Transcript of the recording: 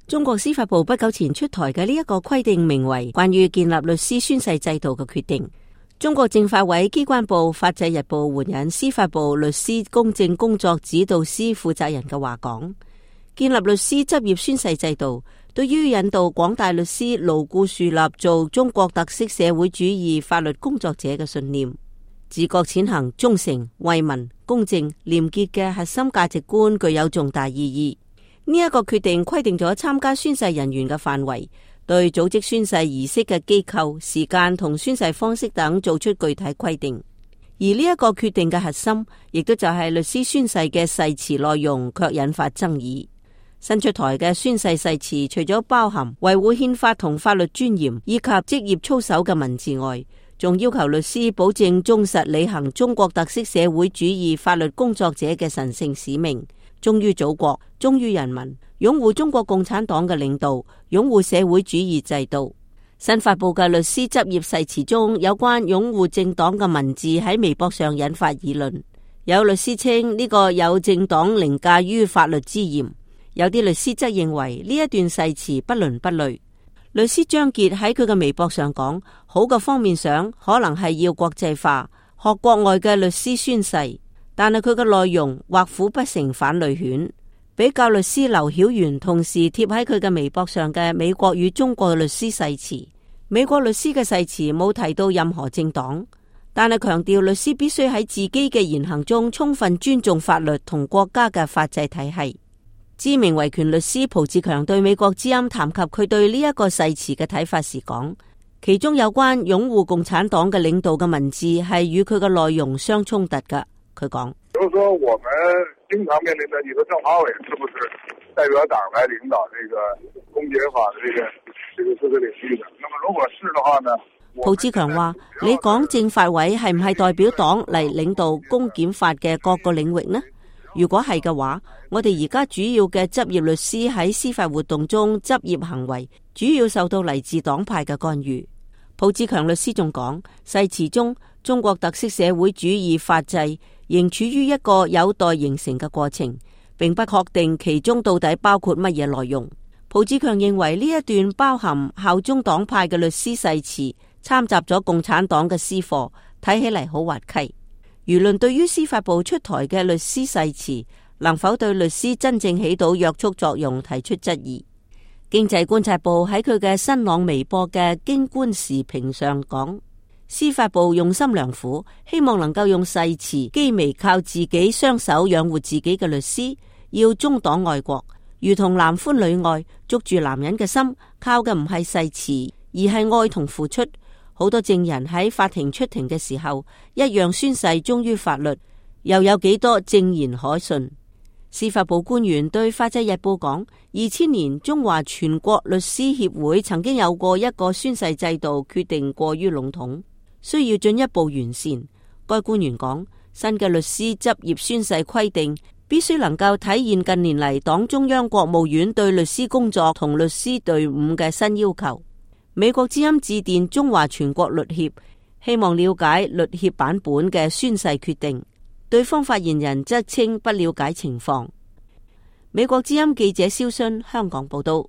中國司法部不久前出台嘅呢一個規定，名為關於建立律師宣誓制度嘅決定。中國政法委機關報法制日報援引司法部律師公正工作指導司負責人嘅話講，建立律師執業宣誓制度，對於引導廣大律師牢固樹立做中國特色社會主義法律工作者嘅信念，自覺踐行忠誠、為民、公正、廉潔嘅核心價值觀，具有重大意義。呢一個決定規定咗參加宣誓人員嘅範圍，對組織宣誓儀式嘅機構、時間同宣誓方式等做出具體規定。而呢一個決定嘅核心，亦都就係律師宣誓嘅誓詞內容，卻引發爭議。新出台嘅宣誓誓詞，除咗包含維護憲法同法律尊嚴以及職業操守嘅文字外，仲要求律師保證忠實履行中國特色社會主義法律工作者嘅神聖使命，忠於祖國，忠於人民，擁護中國共產黨嘅領導，擁護社會主義制度。新發布嘅律師執業誓詞中有關擁護政黨嘅文字喺微博上引發議論，有律師稱呢個有政黨凌駕於法律之嫌，有啲律師則認為呢一段誓詞不倫不類。律師張傑喺佢嘅微博上講，好嘅方面上可能係要國際化，學國外嘅律師宣誓，但係佢嘅內容畫虎不成反類犬。比較律師劉曉元同時貼喺佢嘅微博上嘅美國與中國律師誓詞，美國律師嘅誓詞冇提到任何政黨，但係強調律師必須喺自己嘅言行中充分尊重法律同國家嘅法制體系。知名維權律師蒲志強對美國之音談及佢對呢一個誓詞嘅睇法時講，其中有關擁護共產黨嘅領導嘅文字係與佢嘅內容相衝突㗎。佢講，就是說我們經常面臨的，你說政法委是不是代表黨來領導這個公檢法的這個司法領域的？那麼如果是的話呢？蒲志強話，你講政法委係唔係代表黨嚟領導公檢法嘅各個領域呢？如果係嘅話，我哋而家主要嘅執業律師喺司法活動中執業行為，主要受到嚟自黨派嘅干預。蒲志強律師仲講，誓詞中中國特色社會主義法制仍處於一個有待形成嘅過程，並不確定其中到底包括乜嘢內容。蒲志強認為呢一段包含效忠黨派嘅律師誓詞摻雜咗共產黨嘅私貨，睇起嚟好滑稽。輿論對於司法部出台嘅律師誓詞能否對律師真正起到約束作用提出質疑。經濟觀察報喺佢嘅新浪微博嘅京官時評上講，司法部用心良苦，希望能夠用誓詞譏微靠自己雙手養活自己嘅律師，要忠黨愛國，如同男歡女愛，捉住男人嘅心，靠嘅唔係誓詞，而係愛同付出。好多證人喺法庭出庭嘅時候，一樣宣誓忠於法律，又有幾多證言可信？司法部官員對法制日報講，2000年中華全國律師協會曾經有過一個宣誓制度，決定過於籠統，需要進一步完善。該官員講，新嘅律師執業宣誓規定必須能夠體現近年嚟黨中央國務院對律師工作同律師隊伍嘅新要求。美國之音致電中華全國律協，希望了解律協版本嘅宣誓決定，對方發言人則稱不了解情況。美國之音記者蕭순香港報道。